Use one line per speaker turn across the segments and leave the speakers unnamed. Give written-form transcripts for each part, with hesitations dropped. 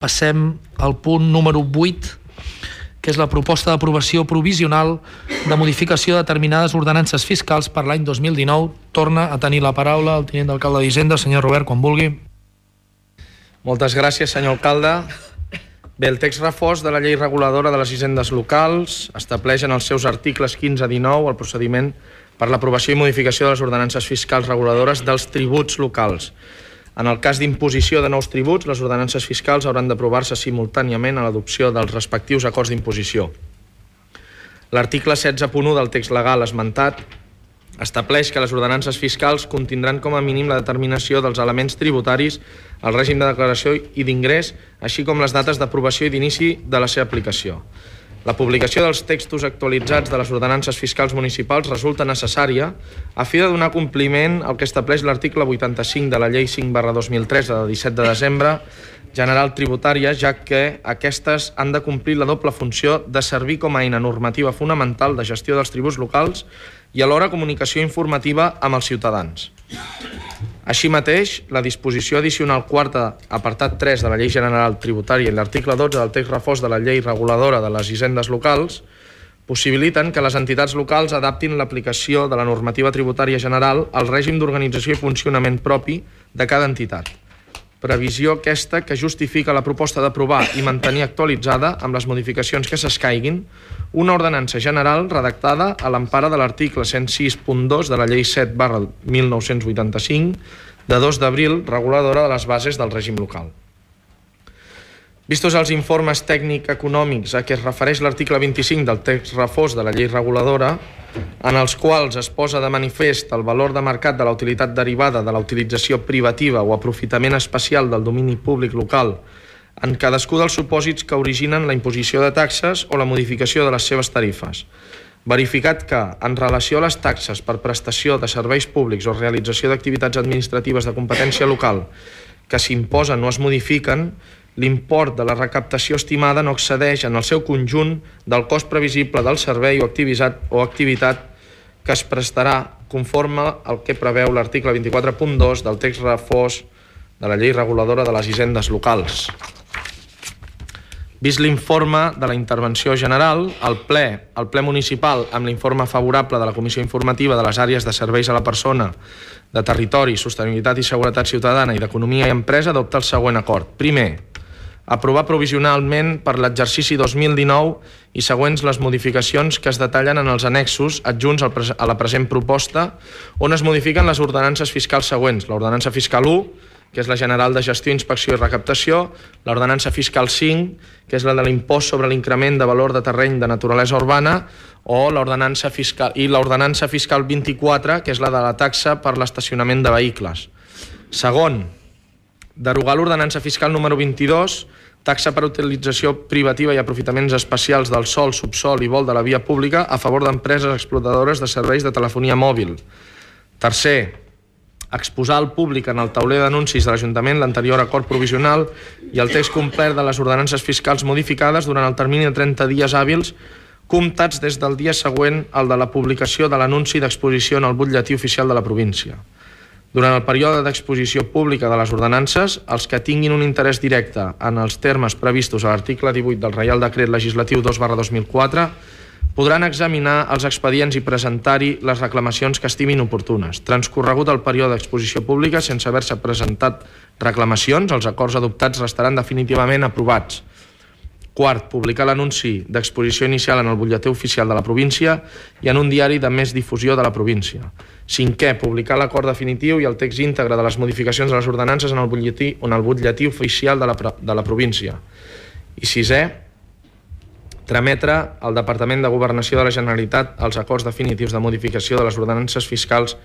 Passem al punt número 8, que és la proposta d'aprovació provisional de modificació de determinades ordenances fiscals per l'any 2019. Torna a tenir la paraula el tinent d'alcalde d'Hisenda, senyor Robert, quan vulgui.
Moltes gràcies, senyor alcalde. Bé, el text refós de la llei reguladora de les hisendes locals estableix en els seus articles 15 a 19 el procediment per l'aprovació i modificació de les ordenances fiscals reguladores dels tributs locals. En el cas d'imposició de nous tributs, les ordenances fiscals hauran d'aprovar-se simultàniament a l'adopció dels respectius acords d'imposició. L'article 16.1 del text legal esmentat estableix que les ordenances fiscals contindran com a mínim la determinació dels elements tributaris, el règim de declaració i d'ingrés, així com les dates d'aprovació i d'inici de la seva aplicació. La publicació dels textos actualitzats de les ordenances fiscals municipals resulta necessària a fi de donar compliment al que estableix l'article 85 de la Llei 5/2003 de 17 de desembre general tributària, ja que aquestes han de complir la doble funció de servir com a eina normativa fonamental de gestió dels tributs locals i alhora comunicació informativa amb els ciutadans. Així mateix, la disposició addicional quarta, apartat 3 de la Llei General Tributària i l'article 12 del text refós de la Llei Reguladora de les Hisendes Locals possibiliten que les entitats locals adaptin l'aplicació de la normativa tributària general al règim d'organització i funcionament propi de cada entitat. Previsió aquesta que justifica la proposta d'aprovar i mantenir actualitzada, amb les modificacions que s'escaiguin, una ordenança general redactada a l'empara de l'article 106.2 de la Llei 7/1985, de 2 d'abril, reguladora de les bases del règim local. Vistos els informes tècnic-econòmics a què es refereix l'article 25 del text refós de la llei reguladora, en els quals es posa de manifest el valor de mercat de la utilitat derivada de la utilització privativa o aprofitament especial del domini públic local en cadascú dels supòsits que originen la imposició de taxes o la modificació de les seves tarifes. Verificat que, en relació a les taxes per prestació de serveis públics o realització d'activitats administratives de competència local que s'imposen o es modifiquen, l'import de la recaptació estimada no excedeix en el seu conjunt del cost previsible del servei o activitat que es prestarà conforme al que preveu l'article 24.2 del text refós de la llei reguladora de les hisendes locals. Vist l'informe de la intervenció general, el ple municipal, amb l'informe favorable de la Comissió Informativa de les àrees de serveis a la persona, de territori, sostenibilitat i seguretat ciutadana i d'economia i empresa, adopta el següent acord. Primer, aprovar provisionalment per l'exercici 2019 i següents les modificacions que es detallen en els annexos adjunts a la present proposta, on es modifiquen les ordenances fiscals següents. L'ordenança fiscal 1, que és la general de gestió, inspecció i recaptació, l'ordenança fiscal 5, que és la de l'impost sobre l'increment de valor de terreny de naturalesa urbana, o l'ordenança fiscal 24, que és la de la taxa per l'estacionament de vehicles. Segon, derogar l'ordenança fiscal número 22, taxa per utilització privativa i aprofitaments especials del sòl, subsòl i vol de la via pública a favor d'empreses explotadores de serveis de telefonia mòbil. Tercer, exposar al públic en el tauler d'anuncis de l'Ajuntament l'anterior acord provisional i el text complet de les ordenances fiscals modificades durant el termini de 30 dies hàbils comptats des del dia següent al de la publicació de l'anunci d'exposició en el butlletí oficial de la província. Durant el període d'exposició pública de les ordenances, els que tinguin un interès directe en els termes previstos a l'article 18 del Reial Decret Legislatiu 2/2004 podran examinar els expedients i presentar-hi les reclamacions que estimin oportunes. Transcorregut el període d'exposició pública sense haver-se presentat reclamacions, els acords adoptats restaran definitivament aprovats. Quart, publicar l'anunci d'exposició inicial en el butlletí oficial de la província i en un diari de més difusió de la província. Cinquè, publicar l'acord definitiu i el text íntegre de les modificacions de les ordenances en el butlletí oficial de la província. I sisè, trametre al Departament de Governació de la Generalitat els acords definitius de modificació de les ordenances fiscals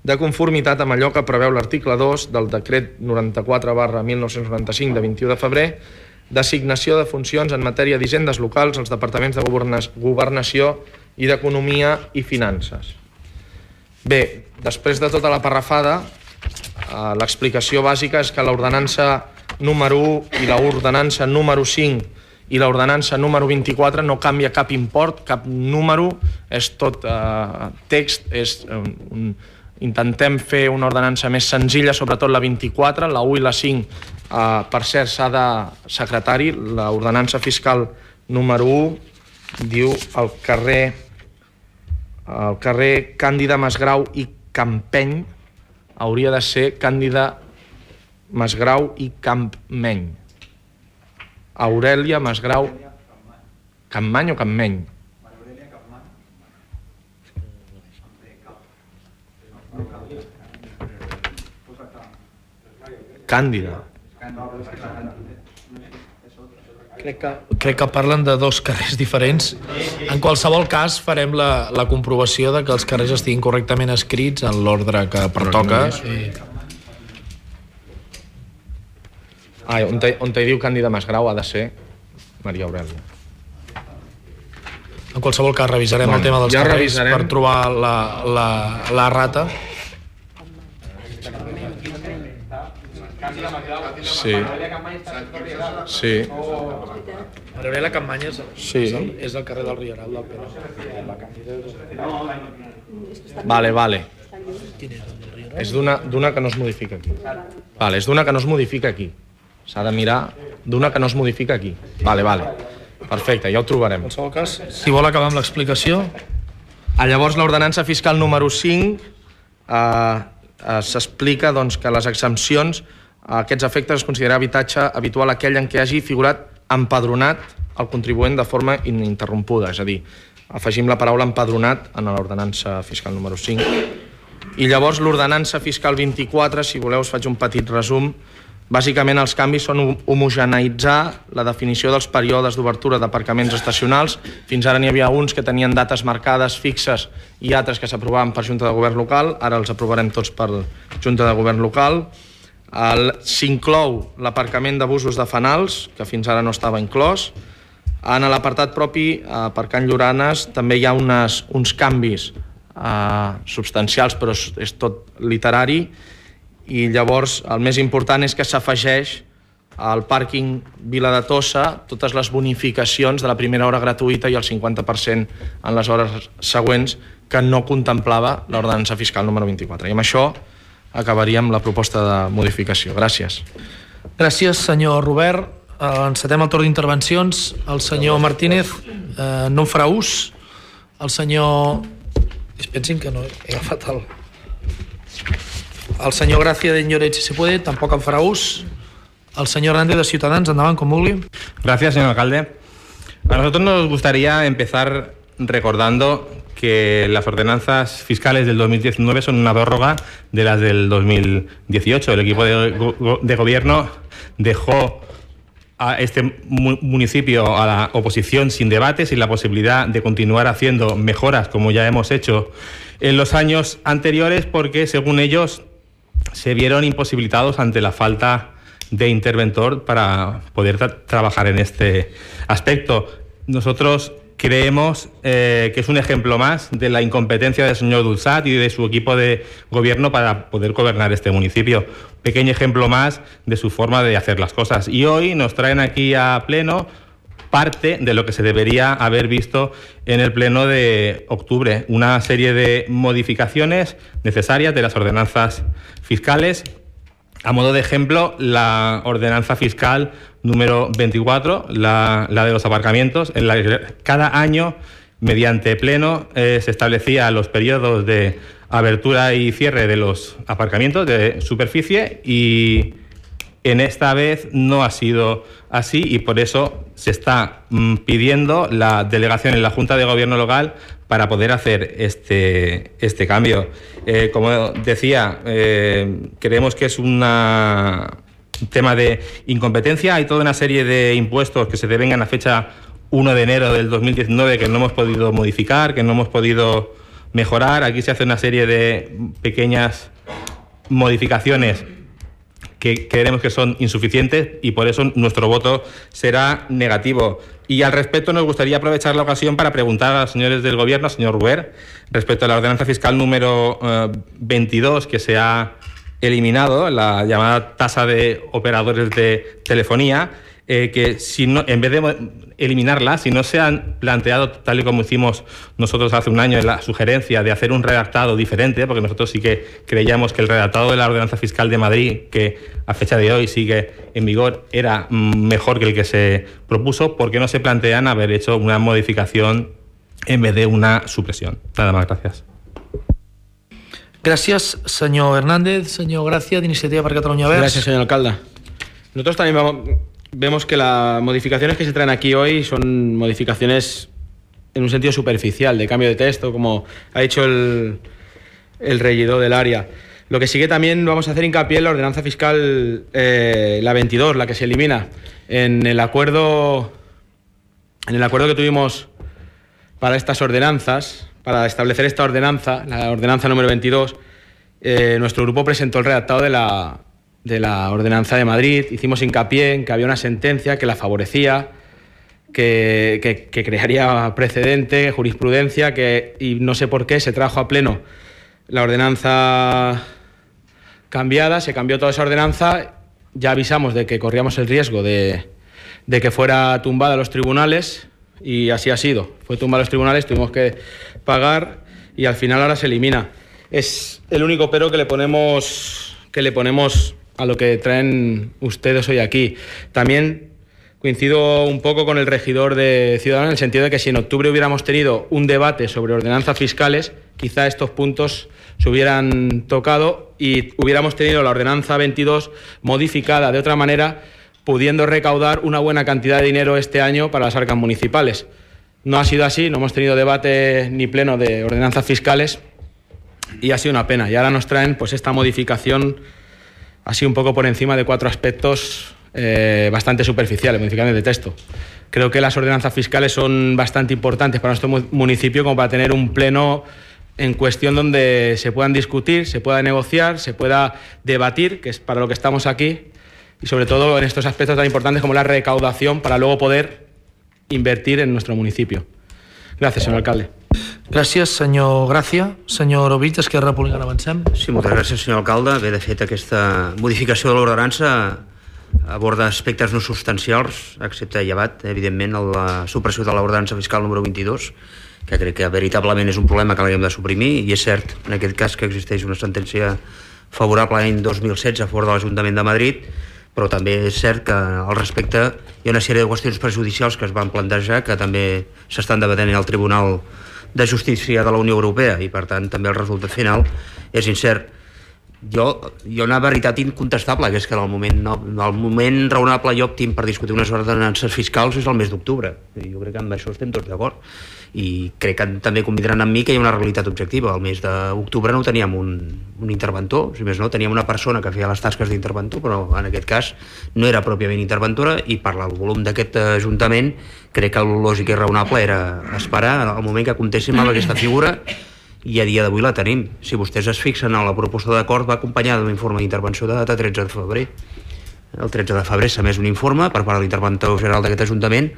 de conformitat amb allò que preveu l'article 2 del decret 94/1995 de 21 de febrer d'assignació de funcions en matèria d'hisendes locals als departaments de Governació i d'Economia i Finances. Bé, després de tota la parrafada, l'explicació bàsica és que l'ordenança número 1 i l'ordenança número 5 i l'ordenança número 24 no canvia cap import, cap número, és tot text, intentem fer una ordenança més senzilla, sobretot la 24, la 1 i la 5 Per cert, s'ha de... Secretari, l'ordenança fiscal número 1 diu el carrer Càndida Masgrau i Campeny hauria de ser Càndida Masgrau i Campmeny. Aurèlia Masgrau... Campmany o Campmeny? Càndida.
Crec que parlen de dos carrers diferents. En qualsevol cas, farem la comprovació de que els carrers estiguin correctament escrits en l'ordre que pertoca.
On hi diu Càndida Masgrau ha de ser Maria Aurèlia.
En qualsevol cas, revisarem el tema dels carrers per trobar la rata.
Sí.
Aurèlia Campmany és el carrer del Rieral del Pere.
Vale. És d'una que no es modifica aquí. És d'una que no es modifica aquí. S'ha de mirar d'una que no es modifica aquí. Vale. Perfecte, ja ho trobarem.
En qualsevol cas, si vol acabar amb l'explicació.
Llavors, l'ordenança fiscal número 5 s'explica que les exempcions a aquests efectes es considera habitatge habitual aquell en què hagi figurat empadronat el contribuent de forma ininterrompuda. És a dir, afegim la paraula empadronat en l'ordenança fiscal número 5. I llavors l'ordenança fiscal 24, si voleu us faig un petit resum. Bàsicament els canvis són homogeneïtzar la definició dels períodes d'obertura d'aparcaments estacionals. Fins ara n'hi havia uns que tenien dates marcades fixes i altres que s'aprovaven per Junta de Govern local. Ara els aprovarem tots per Junta de Govern local. S'inclou l'aparcament d'abusos de fanals, que fins ara no estava inclòs. En l'apartat propi, aparcant Lloranes, també hi ha uns canvis substancials, però és tot literari. I llavors el més important és que s'afegeix al pàrquing Vila de Tossa totes les bonificacions de la primera hora gratuïta i el 50% en les hores següents que no contemplava l'ordenança fiscal número 24. I amb això acabaríem la proposta de modificació. Gràcies.
Gràcies, senyor Robert. Encetem el torn d'intervencions. El senyor Martínez no en farà ús. El senyor... Pensin que no he agafat el... El senyor Gracia de Lloret, si se puede, tampoc en farà ús. El senyor Hernández de Ciutadans, endavant, com vulgui.
Gracias, señor alcalde. A nosotros nos gustaría empezar recordando que las ordenanzas fiscales del 2019 son una prórroga de las del 2018. El equipo de gobierno dejó a este municipio a la oposición sin debate, sin la posibilidad de continuar haciendo mejoras como ya hemos hecho en los años anteriores, porque según ellos se vieron imposibilitados ante la falta de interventor para poder trabajar en este aspecto. Nosotros creemos que es un ejemplo más de la incompetencia del señor Dulzat y de su equipo de gobierno para poder gobernar este municipio. Pequeño ejemplo más de su forma de hacer las cosas. Y hoy nos traen aquí a pleno parte de lo que se debería haber visto en el pleno de octubre. Una serie de modificaciones necesarias de las ordenanzas fiscales. A modo de ejemplo, la ordenanza fiscal número 24, la de los aparcamientos, en la que cada año, mediante pleno, se establecía los periodos de abertura y cierre de los aparcamientos de superficie, y en esta vez no ha sido así, y por eso se está pidiendo la delegación en la Junta de Gobierno local para poder hacer este cambio. Como decía, creemos que es un tema de incompetencia. Hay toda una serie de impuestos que se devengan a fecha 1 de enero del 2019 que no hemos podido modificar, que no hemos podido mejorar. Aquí se hace una serie de pequeñas modificaciones que creemos que son insuficientes, y por eso nuestro voto será negativo. Y al respecto nos gustaría aprovechar la ocasión para preguntar a los señores del Gobierno, al señor Ruber, respecto a la ordenanza fiscal número 22, que se ha eliminado, la llamada tasa de operadores de telefonía. que si no, en vez de eliminarla, si no se han planteado, tal y como hicimos nosotros hace un año, en la sugerencia de hacer un redactado diferente, porque nosotros sí que creíamos que el redactado de la Ordenanza Fiscal de Madrid, que a fecha de hoy sigue en vigor, era mejor que el que se propuso, ¿por qué no se plantean haber hecho una modificación en vez de una supresión? Nada más, gracias.
Gràcies, senyor Hernández. Senyor Gràcia, d'Iniciativa per Catalunya Verds.
Gracias, señor alcalde. Nosotros también vemos que las modificaciones que se traen aquí hoy son modificaciones en un sentido superficial, de cambio de texto, como ha dicho el regidor del área. Lo que sí que también vamos a hacer hincapié en la ordenanza fiscal, la 22, la que se elimina. En el acuerdo que tuvimos para estas ordenanzas, para establecer esta ordenanza, la ordenanza número 22, nuestro grupo presentó el redactado de la ordenanza de Madrid. Hicimos hincapié en que había una sentencia que la favorecía, que crearía precedente, jurisprudencia, y no sé por qué se trajo a pleno la ordenanza cambiada, se cambió toda esa ordenanza, ya avisamos de que corríamos el riesgo de que fuera tumbada a los tribunales, y así ha sido. Fue tumbada a los tribunales, tuvimos que pagar y al final ahora se elimina. Es el único pero que le ponemos a lo que traen ustedes hoy aquí. También coincido un poco con el regidor de Ciudadanos en el sentido de que si en octubre hubiéramos tenido un debate sobre ordenanzas fiscales, quizá estos puntos se hubieran tocado y hubiéramos tenido la ordenanza 22 modificada de otra manera, pudiendo recaudar una buena cantidad de dinero este año para las arcas municipales. No ha sido así, no hemos tenido debate ni pleno de ordenanzas fiscales y ha sido una pena. Y ahora nos traen pues esta modificación así un poco por encima de 4 aspectos bastante superficiales, modificaciones de texto. Creo que las ordenanzas fiscales son bastante importantes para nuestro municipio como para tener un pleno en cuestión donde se puedan discutir, se pueda negociar, se pueda debatir, que es para lo que estamos aquí, y sobre todo en estos aspectos tan importantes como la recaudación para luego poder invertir en nuestro municipio. Gracias, señor alcalde.
Gràcies, senyor Gràcia. Senyor Ovich, Esquerra Republicana, avancem.
Sí, moltes gràcies, senyor alcalde. Bé, de fet, aquesta modificació de l'ordenança aborda aspectes no substancials, excepte llevat, evidentment, la supressió de l'ordenança fiscal número 22, que crec que veritablement és un problema que l'haguem de suprimir, i és cert, en aquest cas, que existeix una sentència favorable l'any 2016 a favor de l'Ajuntament de Madrid, però també és cert que al respecte hi ha una sèrie de qüestions prejudicials que es van plantejar que també s'estan debatent al Tribunal de Justícia de la Unió Europea i per tant també el resultat final és incert. Hi ha una veritat incontestable, que és que el moment raonable i òptim per discutir unes ordenances fiscals és el mes d'octubre. Jo crec que amb això estem tots d'acord. I crec que també convindran amb mi que hi ha una realitat objectiva. El mes d'octubre no teníem un interventor, si més no, teníem una persona que feia les tasques d'interventor, però en aquest cas no era pròpiament interventora, i per el volum d'aquest Ajuntament crec que el lògic i raonable era esperar al moment que comptéssim amb aquesta figura, i a dia d'avui la tenim. Si vostès es fixen en la proposta d'acord, va acompanyada d'un informe d'intervenció de data 13 de febrer. El 13 de febrer s'ha emès un informe per part de l'interventor general d'aquest Ajuntament.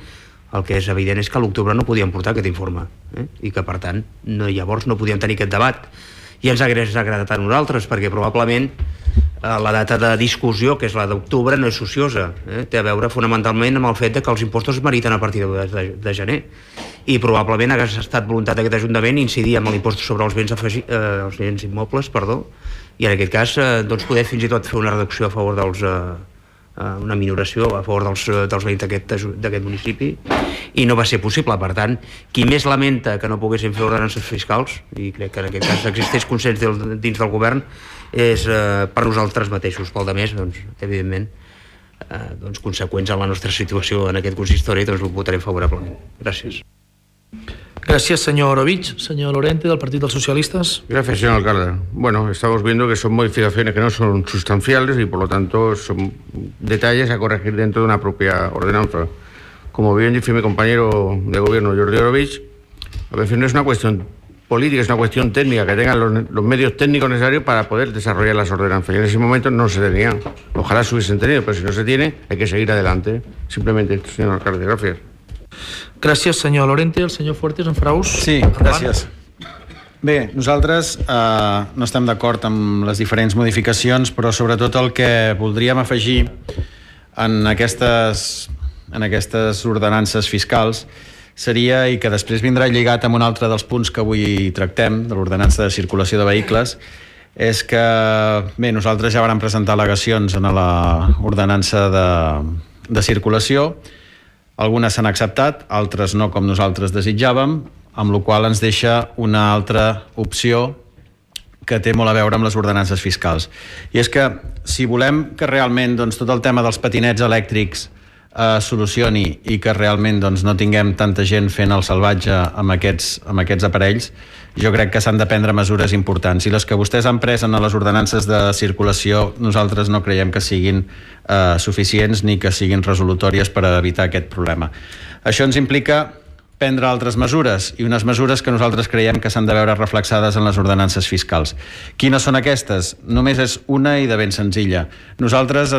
El que és evident és que a l'octubre no podíem portar aquest informe, i que per tant llavors no podíem tenir aquest debat, i ens hagués agradat a nosaltres, perquè probablement la data de discussió, que és la d'octubre, no és ociosa, té a veure fonamentalment amb el fet que els impostos es meriten a partir de gener, i probablement hagués estat voluntat d'aquest Ajuntament incidir amb l'impost sobre els béns immobles, i en aquest cas poder fins i tot fer una reducció a favor una minoració a favor dels veïns d'aquest municipi, i no va ser possible. Per tant, qui més lamenta que no poguessin fer ordenances fiscals, i crec que en aquest cas existeix consens dins del govern, és per nosaltres mateixos. Pel demés, evidentment, conseqüents en la nostra situació en aquest consistori, ho votarem favorablement. Gràcies.
Gracias, señor Ovich. Señor Lorente, del Partido de los Socialistas.
Gracias, señor alcalde. Bueno, estamos viendo que son modificaciones que no son sustanciales y por lo tanto son detalles a corregir dentro de una propia ordenanza. Como bien dice mi compañero de gobierno, Jordi Ovich, a veces no es una cuestión política, es una cuestión técnica, que tengan los medios técnicos necesarios para poder desarrollar las ordenanzas. Y en ese momento no se tenían. Ojalá se hubiesen tenido, pero si no se tiene, hay que seguir adelante. Simplemente esto, señor alcalde. Gracias.
Gràcies, senyor Lorente. El senyor Fuertes, en farà ús?
Sí, gràcies. Bé, nosaltres no estem d'acord amb les diferents modificacions, però sobretot el que voldríem afegir en aquestes en aquestes ordenances fiscals seria, i que després vindrà lligat amb un altre dels punts que avui tractem, de l'ordenança de circulació de vehicles, és que, bé, nosaltres ja vam presentar al·legacions en l'ordenança de circulació, algunes s'han acceptat, altres no com nosaltres desitjàvem, amb la qual cosa ens deixa una altra opció que té molt a veure amb les ordenances fiscals. I és que si volem que realment tot el tema dels patinets elèctrics solucioni i que realment no tinguem tanta gent fent el salvatge amb aquests aparells, jo crec que s'han de prendre mesures importants, i les que vostès han pres en les ordenances de circulació nosaltres no creiem que siguin suficients ni que siguin resolutòries per evitar aquest problema. Això ens implica prendre altres mesures, i unes mesures que nosaltres creiem que s'han de veure reflexades en les ordenances fiscals. Quines són aquestes? Només és una i de ben senzilla. Nosaltres,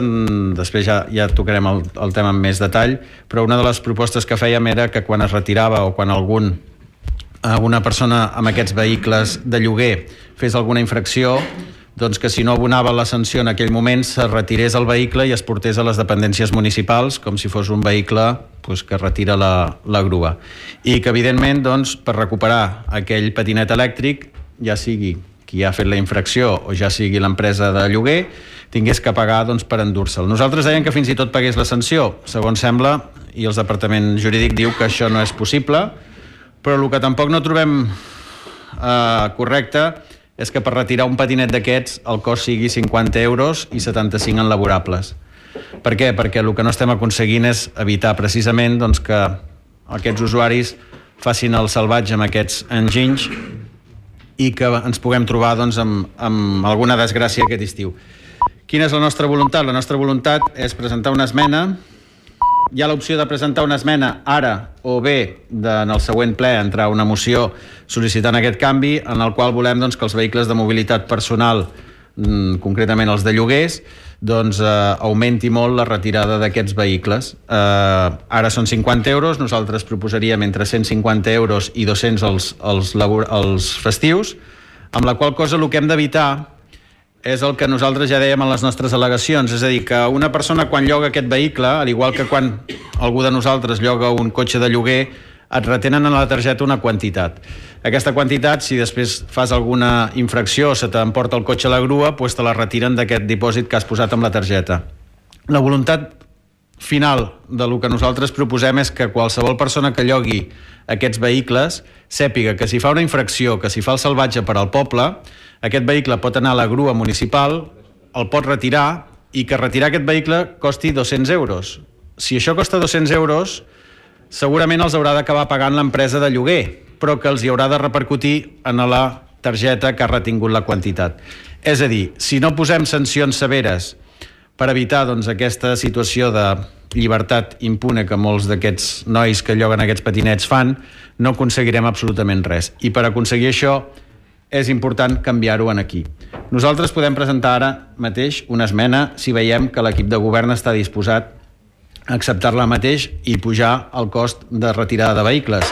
després ja tocarem el tema amb més detall, però una de les propostes que fèiem era que quan es retirava o quan alguna persona amb aquests vehicles de lloguer fes alguna infracció, doncs que si no abonava la sanció en aquell moment se retirés el vehicle i es portés a les dependències municipals com si fos un vehicle que retira la grua, i que evidentment per recuperar aquell patinet elèctric, ja sigui qui ha fet la infracció o ja sigui l'empresa de lloguer, tingués que pagar per endur-se'l. Nosaltres dèiem que fins i tot pagués la sanció, segons sembla, i el departament jurídic diu que això no és possible, però el que tampoc no trobem correcte és que per retirar un patinet d'aquests el cost sigui 50 euros i 75 en laborables. Per què? Perquè el que no estem aconseguint és evitar precisament que aquests usuaris facin el salvatge amb aquests enginys i que ens puguem trobar amb alguna desgràcia aquest estiu. Quina és la nostra voluntat? La nostra voluntat és presentar una esmena. Hi ha l'opció de presentar una esmena ara o bé en el següent ple entrar una moció sol·licitant aquest canvi, en el qual volem que els vehicles de mobilitat personal, concretament els de lloguers, augmenti molt la retirada d'aquests vehicles. Ara són 50 euros, nosaltres proposaríem entre 150 euros i 200 els festius, amb la qual cosa el que hem d'evitar és el que nosaltres ja dèiem en les nostres al·legacions, és a dir, que una persona quan lloga aquest vehicle, al igual que quan algú de nosaltres lloga un cotxe de lloguer, et retenen a la targeta una quantitat. Aquesta quantitat, si després fas alguna infracció o se t'emporta el cotxe a la grua, te la retiren d'aquest dipòsit que has posat amb la targeta. La voluntat final del que nosaltres proposem és que qualsevol persona que llogui aquests vehicles sàpiga que si fa una infracció, que si fa el salvatge per al poble, aquest vehicle pot anar a la grua municipal, el pot retirar, i que retirar aquest vehicle costi 200 euros. Si això costa 200 euros, segurament els haurà d'acabar pagant l'empresa de lloguer, però que els hi haurà de repercutir en la targeta que ha retingut la quantitat. És a dir, si no posem sancions severes per evitar aquesta situació de llibertat impune que molts d'aquests nois que lloguen aquests patinets fan, no aconseguirem absolutament res. I per aconseguir això és important canviar-ho aquí. Nosaltres podem presentar ara mateix una esmena si veiem que l'equip de govern està disposat a acceptar-la mateix i pujar el cost de retirada de vehicles.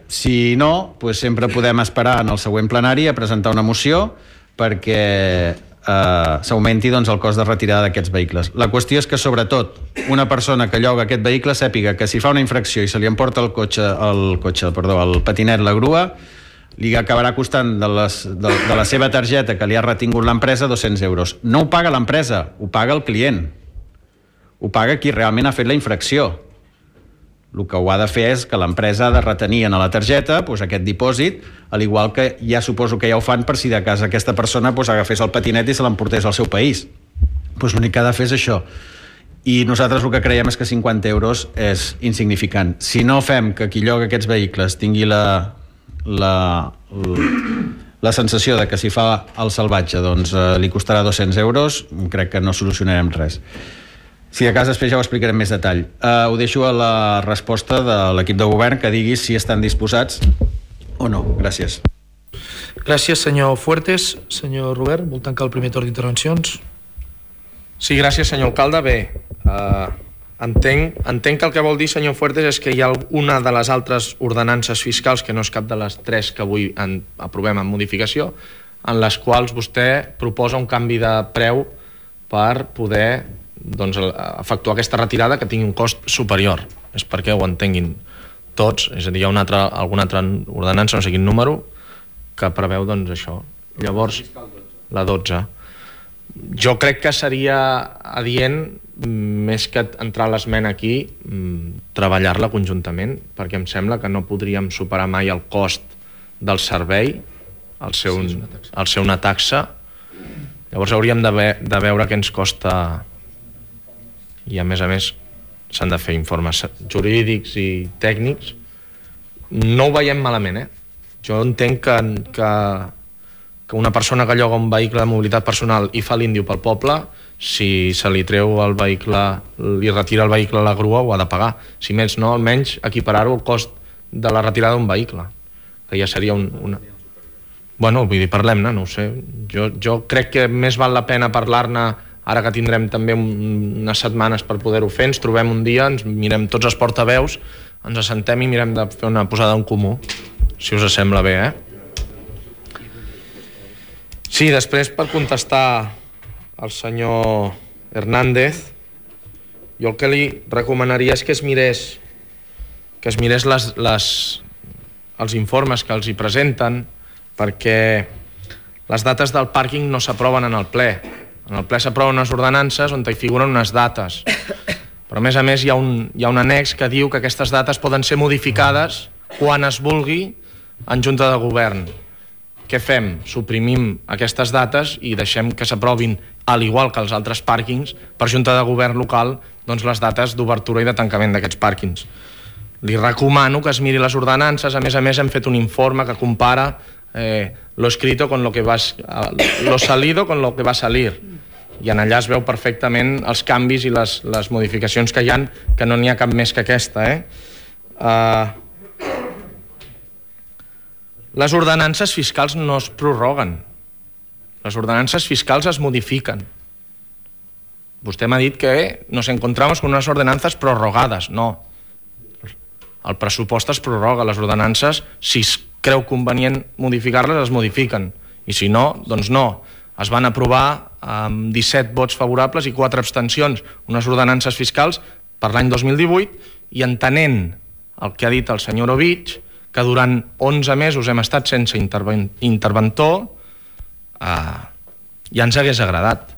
Si no, sempre podem esperar en el següent plenari a presentar una moció perquè s'augmenti el cost de retirada d'aquests vehicles. La qüestió és que, sobretot, una persona que lloga aquest vehicle sàpiga que si fa una infracció i se li emporta el patinet, la grua, li acabarà costant de la seva targeta que li ha retingut l'empresa 200 euros. No ho paga l'empresa, ho paga el client. Ho paga qui realment ha fet la infracció. El que ho ha de fer és que l'empresa ha de retenir en la targeta aquest dipòsit, al igual que ja suposo que ja ho fan per si de cas aquesta persona agafés el patinet i se l'emportés al seu país. L'únic que ha de fer és això. I nosaltres el que creiem és que 50 euros és insignificant. Si no fem que qui lloga aquests vehicles tingui la sensació de que si fa el salvatge li costarà 200 euros, crec que no solucionarem res. Si de cas després ja ho explicarem més detall. Ho deixo a la resposta de l'equip de govern que digui si estan disposats o no. Gràcies.
Gràcies, senyor Fuertes. Senyor Robert, vol tancar el primer torn d'intervencions?
Sí, gràcies, senyor alcalde. Bé, entenc que el que vol dir, senyor Fuertes, és que hi ha una de les altres ordenances fiscals, que no és cap de les tres que avui aprovem en modificació, en les quals vostè proposa un canvi de preu per poder efectuar aquesta retirada que tingui un cost superior. És perquè ho entenguin tots, és a dir, hi ha alguna altra ordenança, no sé quin número, que preveu doncs això. Llavors, la 12. Jo crec que seria adient, més que entrar l'esmena aquí, treballar-la conjuntament, perquè em sembla que no podríem superar mai el cost del servei al ser una taxa. Llavors hauríem de veure què ens costa, i a més s'han de fer informes jurídics i tècnics. No ho veiem malament, Jo entenc que una persona que lloga un vehicle de mobilitat personal i fa l'índiu pel poble, si se li treu el vehicle, li retira el vehicle a la grua, ho ha de pagar. Si més no, almenys equiparar-ho al cost de la retirada d'un vehicle, que ja seria una... Bueno, vull dir, parlem-ne, no ho sé. Jo crec que més val la pena parlar-ne ara que tindrem també unes setmanes per poder-ho fer, ens trobem un dia, ens mirem tots els portaveus, ens assentem i mirem de fer una posada en comú, si us sembla bé, Sí, després, per contestar al senyor Hernández, jo el que li recomanaria és que es mirés els informes que els hi presenten, perquè les dates del pàrquing no s'aproven en el ple. En el ple s'aproven unes ordenances on hi figuren unes dates. Però, a més, hi ha un annex que diu que aquestes dates poden ser modificades quan es vulgui en Junta de Govern. Què fem? Suprimim aquestes dates i deixem que s'aprovin, al igual que els altres pàrquings, per Junta de Govern local, doncs les dates d'obertura i de tancament d'aquests pàrquings. Li recomano que es miri les ordenances. A més, hem fet un informe que compara lo escrito con lo salido con lo que va a salir. I en allà es veu perfectament els canvis i les modificacions que hi ha, que no n'hi ha cap més que aquesta. Les ordenances fiscals no es prorroguen. Les ordenances fiscals es modifiquen. Vostè m'ha dit que nos encontramos con unas ordenanzas prorrogadas. No. El pressupost es prorroga. Les ordenances, si es creu convenient modificar-les, es modifiquen. I si no, doncs no. Es van aprovar amb 17 vots favorables i 4 abstencions unes ordenances fiscals per l'any 2018, i entenent el que ha dit el senyor Ovich, que durant 11 mesos hem estat sense interventor, ja ens hagués agradat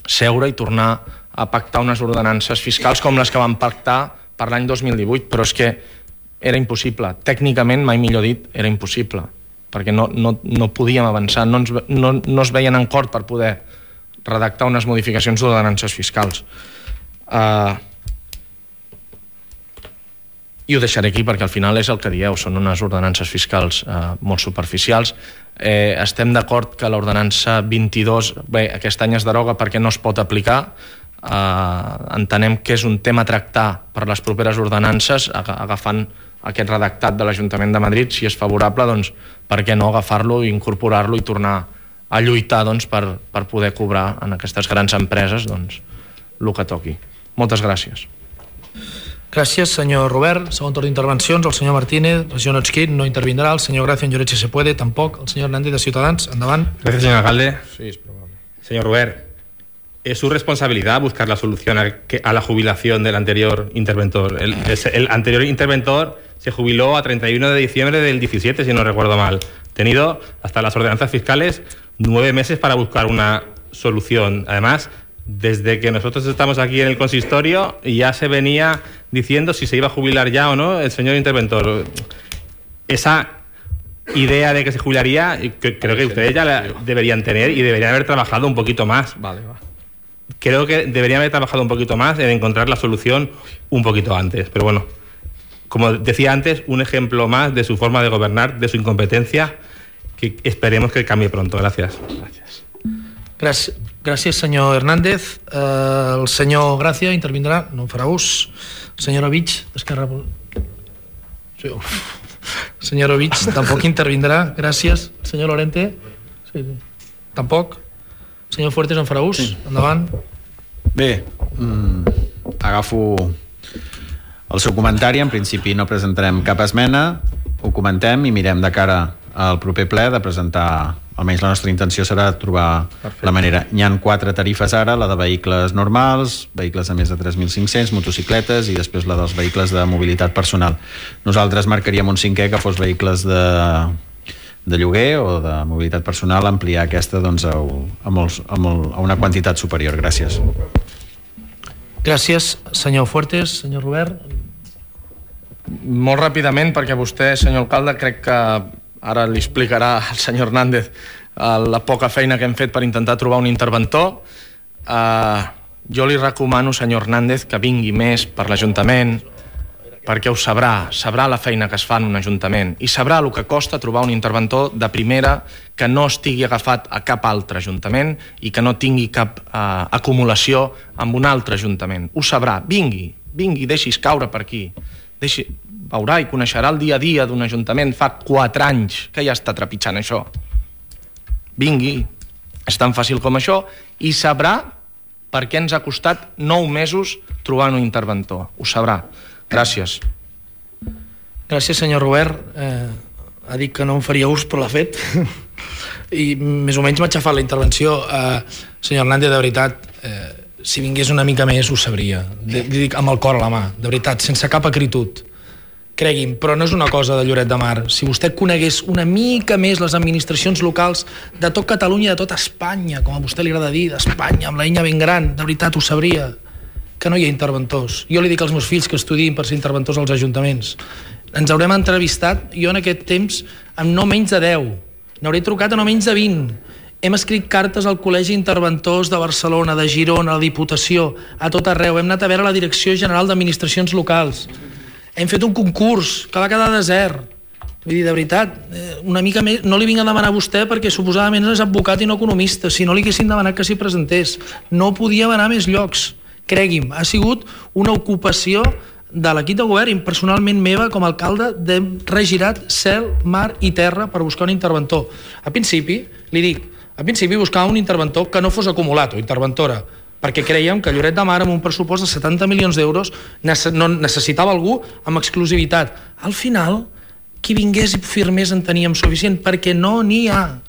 seure i tornar a pactar unes ordenances fiscals com les que vam pactar per l'any 2018, però és que era impossible. Tècnicament, mai millor dit, era impossible, perquè no podíem avançar, no es veien en cort per poder redactar unes modificacions d'ordenances fiscals. I ho deixaré aquí perquè al final és el que dieu, són unes ordenances fiscals molt superficials. Estem d'acord que l'ordenança 22, bé, aquest any es deroga perquè no es pot aplicar. Entenem que és un tema a tractar per les properes ordenances, agafant aquest redactat de l'Ajuntament de Madrid. Si és favorable, doncs per què no agafar-lo i incorporar-lo i tornar a lluitar doncs, per poder cobrar en aquestes grans empreses doncs, el que toqui. Moltes gràcies.
Gràcies, senyor Robert. Segon torn d'intervencions, el senyor Martínez, el senyor Nochkin no intervindrà, el senyor Gracia en Lloret si se puede, tampoc, el senyor Hernández de Ciutadans, endavant.
Gracias, señor alcalde.
Sí, es probable.
Señor Robert, ¿es su responsabilidad buscar la solución a la jubilación del anterior interventor? El anterior interventor se jubiló a 31 de diciembre del 17, si no recuerdo mal. Tenido hasta las ordenanzas fiscales 9 meses para buscar una solución. Además, desde que nosotros estamos aquí en el consistorio ya se venía diciendo si se iba a jubilar ya o no el señor interventor. Esa idea de que se jubilaría, creo que ustedes ya la deberían tener y deberían haber trabajado un poquito más.
Vale, va.
Creo que deberían haber trabajado un poquito más en encontrar la solución un poquito antes. Pero bueno, como decía antes, un ejemplo más de su forma de gobernar, de su incompetencia, que esperemos que cambie pronto. Gracias.
Gràcies, senyor Hernández. El senyor Gràcia intervindrà, no en farà ús. El senyor Ovich, d'Esquerra Republicana. El senyor Ovich tampoc intervindrà. Gràcies. El senyor Lorente? Sí. Tampoc. El senyor Fuertes en farà ús. Sí. Endavant.
Bé, agafo el seu comentari. En principi no presentarem cap esmena. ho comentem i mirem de cara al proper ple de presentar, almenys la nostra intenció serà trobar la manera. N'hi ha 4 tarifes ara, la de vehicles normals, vehicles de més de 3.500, motocicletes i després la dels vehicles de mobilitat personal. Nosaltres marcaríem un 5è que fos vehicles de lloguer o de mobilitat personal, ampliar aquesta doncs, a una quantitat superior. Gràcies.
Gràcies, senyor Fuertes. Senyor Robert.
Molt ràpidament, perquè vostè, senyor alcalde, crec que ara li explicarà al senyor Hernández la poca feina que hem fet per intentar trobar un interventor. Jo li recomano, senyor Hernández, que vingui més per l'Ajuntament, perquè ho sabrà la feina que es fa en un ajuntament i sabrà el que costa trobar un interventor de primera que no estigui agafat a cap altre ajuntament i que no tingui cap acumulació amb un altre ajuntament. Ho sabrà. Vingui, deixi's caure per aquí. Veurà i coneixerà el dia a dia d'un ajuntament. Fa 4 anys que ja està trepitjant això. Vingui. És tan fàcil com això i sabrà per què ens ha costat 9 mesos trobar un interventor. Ho sabrà. Gràcies.
Gràcies, senyor Robert. Ha dit que no em faria ús, però l'ha fet. I més o menys m'ha xafat la intervenció. Senyor Hernández, de veritat, si vingués una mica més ho sabria. Dic amb el cor a la mà, de veritat, sense cap acritud. Cregui'm, però no és una cosa de Lloret de Mar. Si vostè conegués una mica més les administracions locals de tot Catalunya i de tot Espanya, com a vostè li agrada dir, d'Espanya, amb la enya ben gran, de veritat ho sabria, que no hi ha interventors. Jo li dic als meus fills que estudiïn per ser interventors als ajuntaments. Ens haurem entrevistat, jo en aquest temps, amb no menys de 10. N'hauré trucat a no menys de 20. Hem escrit cartes al Col·legi Interventors de Barcelona, de Girona, a la Diputació, a tot arreu. Hem anat a veure la Direcció General d'Administracions Locals. Hem fet un concurs que va quedar desert. Vull dir, de veritat, una mica més... No li vinc a demanar a vostè perquè suposadament és advocat i no economista. Si no li haguessin demanat que s'hi presentés. No podia anar a més llocs. Cregui'm, ha sigut una ocupació de l'equip de govern i personalment meva com a alcalde d'hem regirat cel, mar i terra per buscar un interventor. A principi, li dic, buscava un interventor que no fos acumulat o interventora, perquè creiem que Lloret de Mar amb un pressupost de 70 milions d'euros necessitava algú amb exclusivitat. Al final, qui vingués i firmés en teníem suficient, perquè no n'hi ha.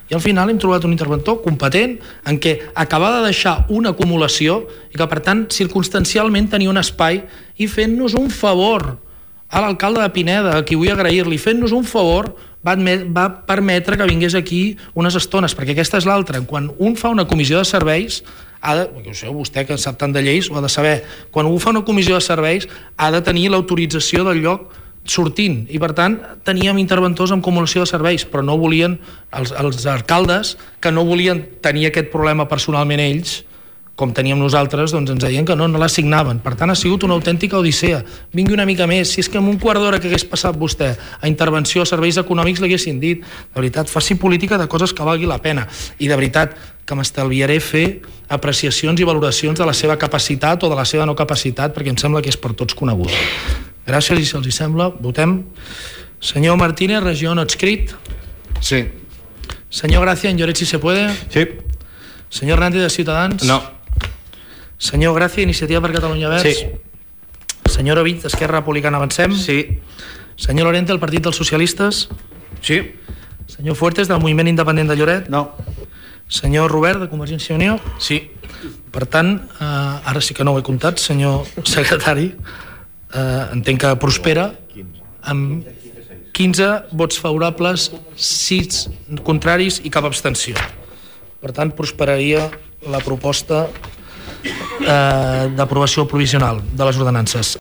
I al final hem trobat un interventor competent en què acabava de deixar una acumulació i que, per tant, circumstancialment tenia un espai i fent-nos un favor a l'alcalde de Pineda, a qui vull agrair-li, fent-nos un favor, va permetre que vingués aquí unes estones, perquè aquesta és l'altra. Quan un fa una comissió de serveis, vostè que sap tant de lleis ho ha de saber, quan un fa una comissió de serveis ha de tenir l'autorització del lloc sortint, i per tant teníem interventors amb acumulació de serveis, però no volien, els alcaldes que no volien tenir aquest problema personalment ells, com teníem nosaltres, doncs ens deien que no l'assignaven. Per tant, ha sigut una autèntica odissea. Vingui una mica més. Si és que en un quart d'hora que hagués passat vostè a intervenció a serveis econòmics l'haguessin dit, de veritat, faci política de coses que valgui la pena. I de veritat que m'estalviaré fer apreciacions i valoracions de la seva capacitat o de la seva no capacitat, perquè em sembla que és per tots conegut. Gràcies, i si els sembla, votem. Senyor Martínez, regió no adscrit.
Sí.
Senyor Gracia, en Lloret si se puede.
Sí.
Senyor Hernández, de Ciutadans.
No.
Senyor Gracia, Iniciativa per Catalunya Verds.
Sí.
Senyor Ovit, Esquerra Republicana Avancem.
Sí.
Senyor Lorente, el Partit dels Socialistes.
Sí.
Senyor Fuertes, del Moviment Independent de Lloret.
No.
Senyor Robert, de Convergència i Unió.
Sí.
Per tant, ara sí que no ho he comptat, senyor secretari, entenc que prospera amb 15 vots favorables, 6 contraris i cap abstenció. Per tant, prosperaria la proposta d'aprovació provisional de les ordenances.